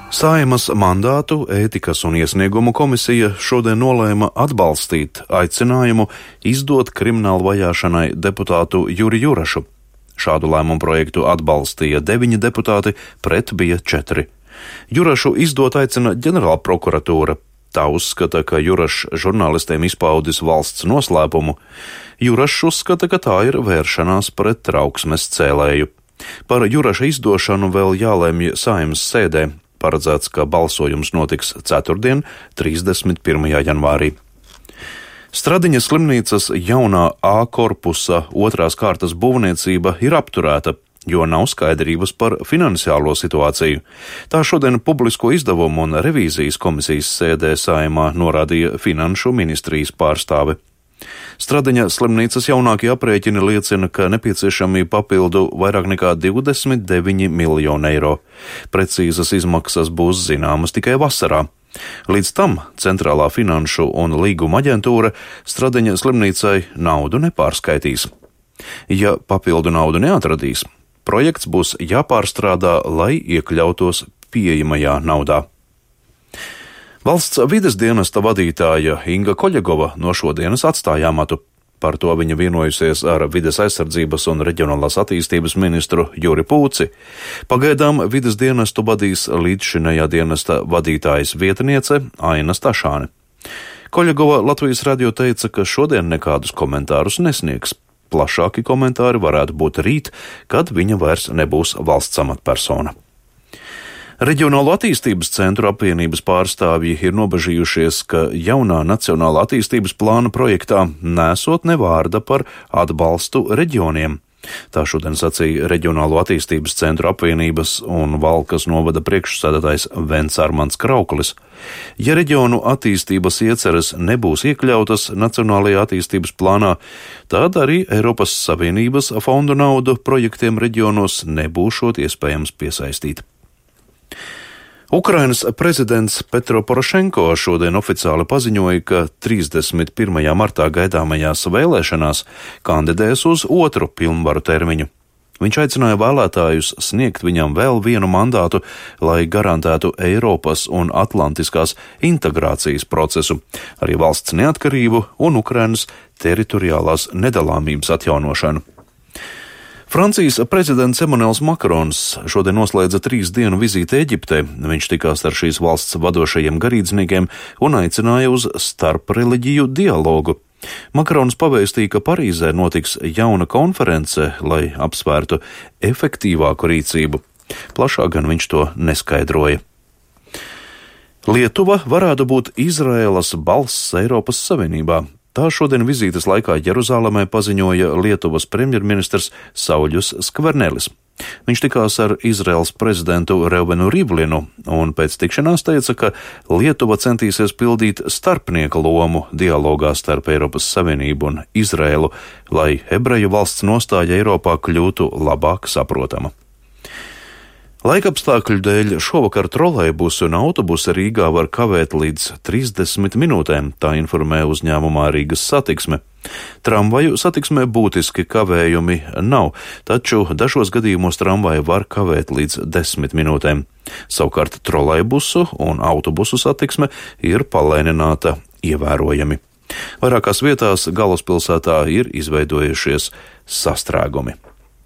Saeimas mandātu ētikas un iesniegumu komisija šodien nolēma atbalstīt aicinājumu izdot kriminālu vajāšanai deputātu Juri Jurašu. Šādu lēmumu projektu atbalstīja 9 deputāti, pret bija 4. Jurašu izdot aicina ģenerāla prokuratūra. Tā uzskata, ka Jurašs žurnālistiem izpaudis valsts noslēpumu. Jurašs uzskata, ka tā ir vēršanās pret trauksmes cēlēju. Par Juraša izdošanu vēl jālemj Saeimas sēdē. Paredzēts, ka balsojums notiks ceturtdien, 31. janvārī. Stradiņas slimnīcas jaunā A korpusa otrās kārtas būvniecība ir apturēta, jo nav skaidrības par finansiālo situāciju. Tā šodien publisko izdevumu un revīzijas komisijas sēdē Saeimā norādīja Finanšu ministrijas pārstāve. Stradiņa slimnīcas jaunākie aprēķini liecina, ka nepieciešami papildu vairāk nekā 29 miljoni eiro. Precīzas izmaksas būs zināmas tikai vasarā. Līdz tam Centrālā finanšu un līguma aģentūra Stradiņa slimnīcai naudu nepārskaitīs. Ja papildu naudu neatradīs, projekts būs jāpārstrādā, lai iekļautos pieejamajā naudā. Valsts vides dienesta vadītāja Inga Koļegova no šodienas atstāja amatu. Par to viņa vienojusies ar vides aizsardzības un reģionālās attīstības ministru Juri Pūci. Pagaidām vides dienestu vadīs līdzšinējā dienesta vadītājas vietniece Aina Stašāne. Koļegova Latvijas radio teica, ka šodien nekādus komentārus nesniegs. Plašāki komentāri varētu būt rīt, kad viņa vairs nebūs valsts amatpersona. Reģionālo attīstības centru apvienības pārstāvji ir nobežījušies, ka jaunā nacionālā attīstības plāna projektā nesot ne vārda par atbalstu reģioniem. Tā šodien sacīja Reģionālo attīstības centru apvienības un Valkas novada priekšsēdētājs Vents Armands Krauklis. Ja reģionu attīstības ieceres nebūs iekļautas nacionālajā attīstības plānā, tad arī Eiropas Savienības fondu naudu projektiem reģionos nebūšot iespējams piesaistīt. Ukrainas prezidents Petro Porošenko šodien oficiāli paziņoja, ka 31. martā gaidāmajās vēlēšanās kandidēs uz otru pilnvaru termiņu. Viņš aicināja vēlētājus sniegt viņam vēl vienu mandātu, lai garantētu Eiropas un atlantiskās integrācijas procesu, arī valsts neatkarību un Ukrainas teritoriālās nedalāmības atjaunošanu. Francijas prezidents Emmanuels Makrons šodien noslēdza 3 dienu vizīti Eģiptē. Viņš tikās ar šīs valsts vadošajiem garīdzniekiem un aicināja uz starpreliģiju dialogu. Makrons pavēstīja, ka Parīzē notiks jauna konference, lai apsvērtu efektīvāku rīcību. Plašāk gan viņš to neskaidroja. Lietuva varētu būt Izraēlas balss Eiropas Savienībā. Tā šodien vizītes laikā Jeruzālēmē paziņoja Lietuvas premjerministrs Sauļus Skvernelis. Viņš tikās ar Izraēlas prezidentu Reuvenu Rivlinu un pēc tikšanās teica, ka Lietuva centīsies pildīt starpnieka lomu dialogā starp Eiropas Savienību un Izraēlu, lai ebreju valsts nostāja Eiropā kļūtu labāk saprotama. Laikapstākļu dēļ šovakar trolejbusi un autobusi Rīgā var kavēt līdz 30 minūtēm, tā informē uzņēmumā Rīgas satiksme. Tramvaju satiksmē būtiski kavējumi nav, taču dažos gadījumos tramvaji var kavēt līdz 10 minūtēm. Savukārt trolejbusu un autobusu satiksme ir palēnināta ievērojami. Vairākās vietās galvaspilsētā ir izveidojušies sastrēgumi.